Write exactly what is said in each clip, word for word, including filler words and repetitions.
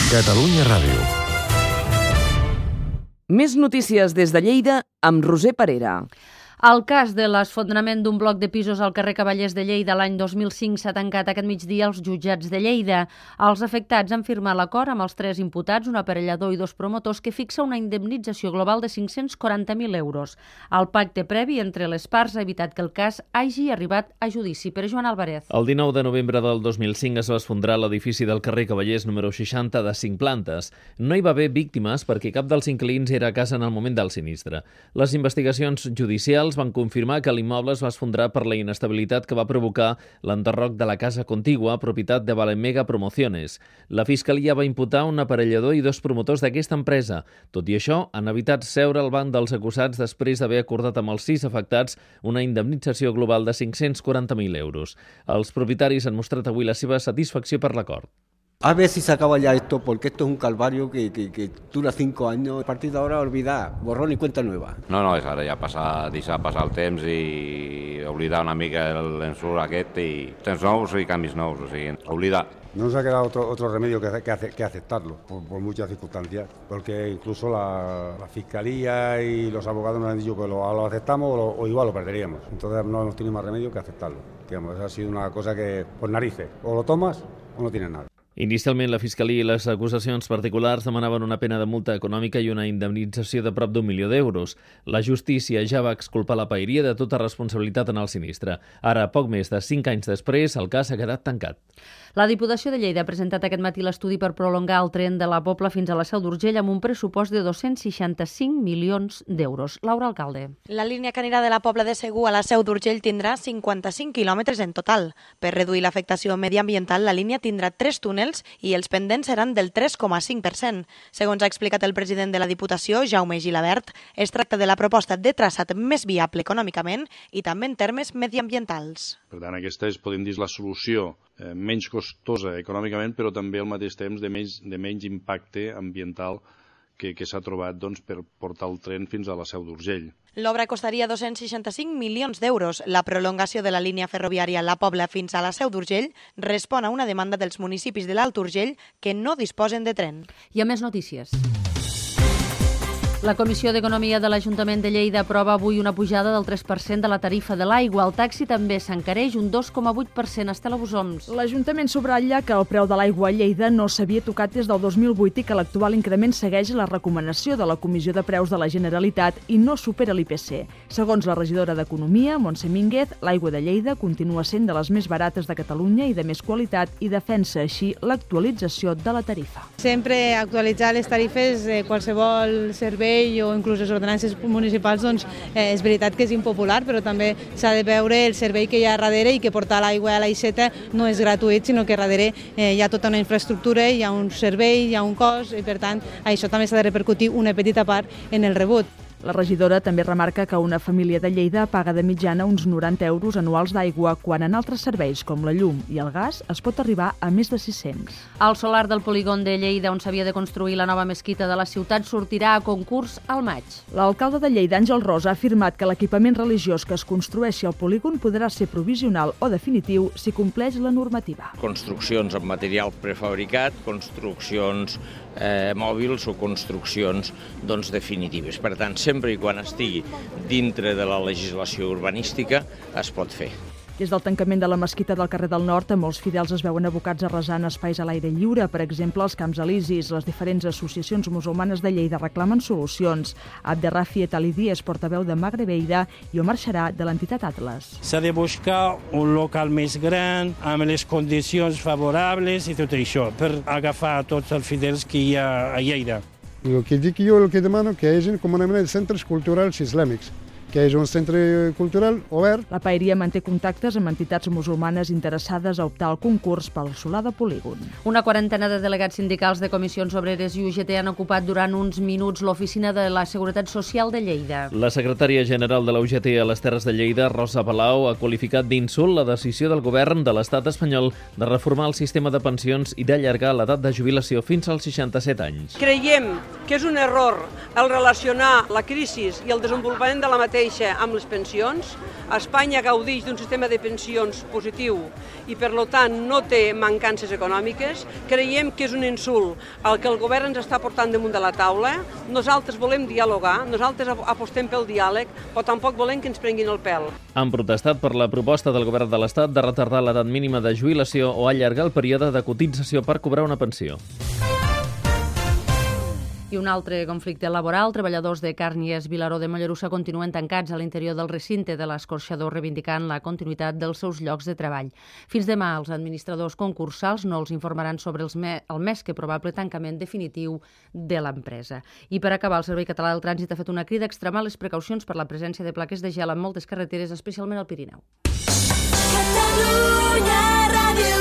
Catalunya Ràdio. Més notícies des de Lleida amb Roser Parera. El cas de l'esfondrament d'un bloc de pisos al carrer Cavallers de Lleida l'any dos mil cinc s'ha tancat aquest migdia als jutjats de Lleida. Els afectats han firmat l'acord amb els tres imputats, un aparellador i dos promotors, que fixa una indemnització global de cinc-cents quaranta mil euros. El pacte previ entre les parts ha evitat que el cas hagi arribat a judici. Per Joan Álvarez. El dinou de novembre del dos mil cinc es va esfondrar l'edifici del carrer Cavallers número seixanta de cinc plantes. No hi va haver víctimes perquè cap dels inquilins era a casa en el moment del sinistre. Les investigacions judicials van confirmar que l'immoble es va esfondrar per la inestabilitat que va provocar l'enderroc de la casa contigua, propietat de Valemega Promociones. La Fiscalia va imputar un aparellador i dos promotors d'aquesta empresa. Tot i això, han evitat seure al banc dels acusats després d'haver acordat amb els sis afectats una indemnització global de cinc-cents quaranta mil euros. Els propietaris han mostrat avui la seva satisfacció per l'acord. A ver si se acaba ya esto, porque esto es un calvario que, que, que dura cinco años. A partir de ahora, olvidar, borrón y cuenta nueva. No, no, és ara ja passar, deixar passar el temps i oblidar una mica l'ensurt aquest i temps nous i canvis nous, o sigui, oblidar. No nos ha quedado otro, otro remedio que, que, que aceptarlo, por, por muchas circunstancias, porque incluso la, la Fiscalía y los abogados nos han dicho que lo, lo aceptamos o, lo, o igual lo perderíamos. Entonces no hemos tenido más remedio que aceptarlo. Digamos, ha sido una cosa que, por narices, o lo tomas o no tienes nada. Inicialment, la Fiscalia i les acusacions particulars demanaven una pena de multa econòmica i una indemnització de prop d'un milió d'euros. La justícia ja va exculpar la paeria de tota responsabilitat en el sinistre. Ara, poc més de cinc anys després, el cas ha quedat tancat. La Diputació de Lleida ha presentat aquest matí l'estudi per prolongar el tren de la Pobla fins a la Seu d'Urgell amb un pressupost de dos-cents seixanta-cinc milions d'euros. Laura Alcalde. La línia que anirà de la Pobla de Segur a la Seu d'Urgell tindrà cinquanta-cinc quilòmetres en total. Per reduir l'afectació mediambiental, la línia tindrà tres túnels i els pendents seran del tres coma cinc per cent. Segons ha explicat el president de la Diputació, Jaume Gilabert, es tracta de la proposta de traçat més viable econòmicament i també en termes mediambientals. Per tant, aquesta és, podem dir, la solució eh, menys costosa econòmicament, però també al mateix temps de menys, de menys impacte ambiental que, que s'ha trobat doncs, per portar el tren fins a la Seu d'Urgell. L'obra costaria dos-cents seixanta-cinc milions d'euros. La prolongació de la línia ferroviària La Pobla fins a la Seu d'Urgell respon a una demanda dels municipis de l'Alt Urgell que no disposen de tren. I a més notícies. La Comissió d'Economia de l'Ajuntament de Lleida aprova avui una pujada del tres per cent de la tarifa de l'aigua. El taxi també s'encareix un dos coma vuit per cent. Estela Bosoms. L'Ajuntament subratlla que el preu de l'aigua a Lleida no s'havia tocat des del dos mil vuit i que l'actual increment segueix la recomanació de la Comissió de Preus de la Generalitat i no supera l'I P C. Segons la regidora d'Economia, Montse Mínguez, l'aigua de Lleida continua sent de les més barates de Catalunya i de més qualitat i defensa així l'actualització de la tarifa. Sempre actualitzar les tarifes de qualsevol servei o inclús les ordenances municipals, doncs eh, és veritat que és impopular, però també s'ha de veure el servei que hi ha darrere i que portar l'aigua a l'Aixeta no és gratuït, sinó que darrere eh, hi ha tota una infraestructura, hi ha un servei, hi ha un cost i per tant això també s'ha de repercutir una petita part en el rebut. La regidora també remarca que una família de Lleida paga de mitjana uns noranta euros anuals d'aigua, quan en altres serveis com la llum i el gas es pot arribar a més de sis-cents. El solar del polígon de Lleida, on s'havia de construir la nova mesquita de la ciutat, sortirà a concurs al maig. L'alcalde de Lleida, Àngel Rosa, ha afirmat que l'equipament religiós que es construeixi al polígon podrà ser provisional o definitiu si compleix la normativa. Construccions amb material prefabricat, construccions eh, mòbils o construccions doncs, definitives. Per tant, sempre i quan estigui dintre de la legislació urbanística es pot fer. Des del tancament de la mesquita del carrer del Nord, molts fidels es veuen abocats a resar en espais a l'aire lliure, per exemple, els Camps Elisis. Les diferents associacions musulmanes de Lleida reclamen solucions. Abderrafi Etalidi és portaveu de Magrebeida i Omar Xarà, de l'entitat Atlas. S'ha de buscar un local més gran, amb les condicions favorables i tot això, per agafar tots els fidels que hi ha a Lleida. El que dic jo, el que demano, que hi hagi comunament centres culturals islàmics, que és un centre cultural obert. La paeria manté contactes amb entitats musulmanes interessades a optar al concurs pel solar de polígon. Una quarantena de delegats sindicals de comissions obreres i U G T han ocupat durant uns minuts l'oficina de la Seguretat Social de Lleida. La secretària general de la U G T a les Terres de Lleida, Rosa Palau, ha qualificat d'insult la decisió del govern de l'estat espanyol de reformar el sistema de pensions i d'allargar l'edat de jubilació fins als seixanta-set anys. Creiem que és un error el relacionar la crisi i el desenvolupament de la matèria mateixa amb les pensions. Espanya gaudeix d'un sistema de pensions positiu i, per tant, no té mancances econòmiques. Creiem que és un insult el que el govern ens està portant damunt de la taula. Nosaltres volem dialogar, nosaltres apostem pel diàleg, però tampoc volem que ens prenguin el pèl. Han protestat per la proposta del govern de l'Estat de retardar l'edat mínima de jubilació o allargar el període de cotització per cobrar una pensió. I un altre conflicte laboral. Treballadors de Càrnies Vilaró de Mollerussa continuen tancats a l'interior del recinte de l'escorxador, reivindicant la continuïtat dels seus llocs de treball. Fins demà, els administradors concursals no els informaran sobre els me el més que probable tancament definitiu de l'empresa. I per acabar, el Servei Català del Trànsit ha fet una crida a extremar les precaucions per la presència de plaques de gel en moltes carreteres, especialment al Pirineu. Catalunya Ràdio.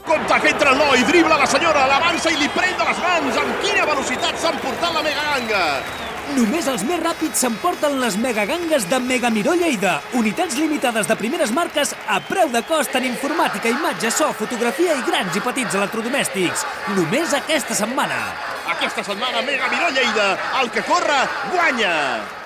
Contact entre el noi, dribla la senyora, l'avança i li pren de les mans. Amb quina velocitat s'ha emportat la megaganga! Només els més ràpids s'emporten les megagangues de Megamiró Lleida. Unitats limitades de primeres marques a preu de cost en informàtica, imatge, so, fotografia i grans i petits electrodomèstics. Només aquesta setmana. Aquesta setmana Megamiró Lleida, el que corre, guanya!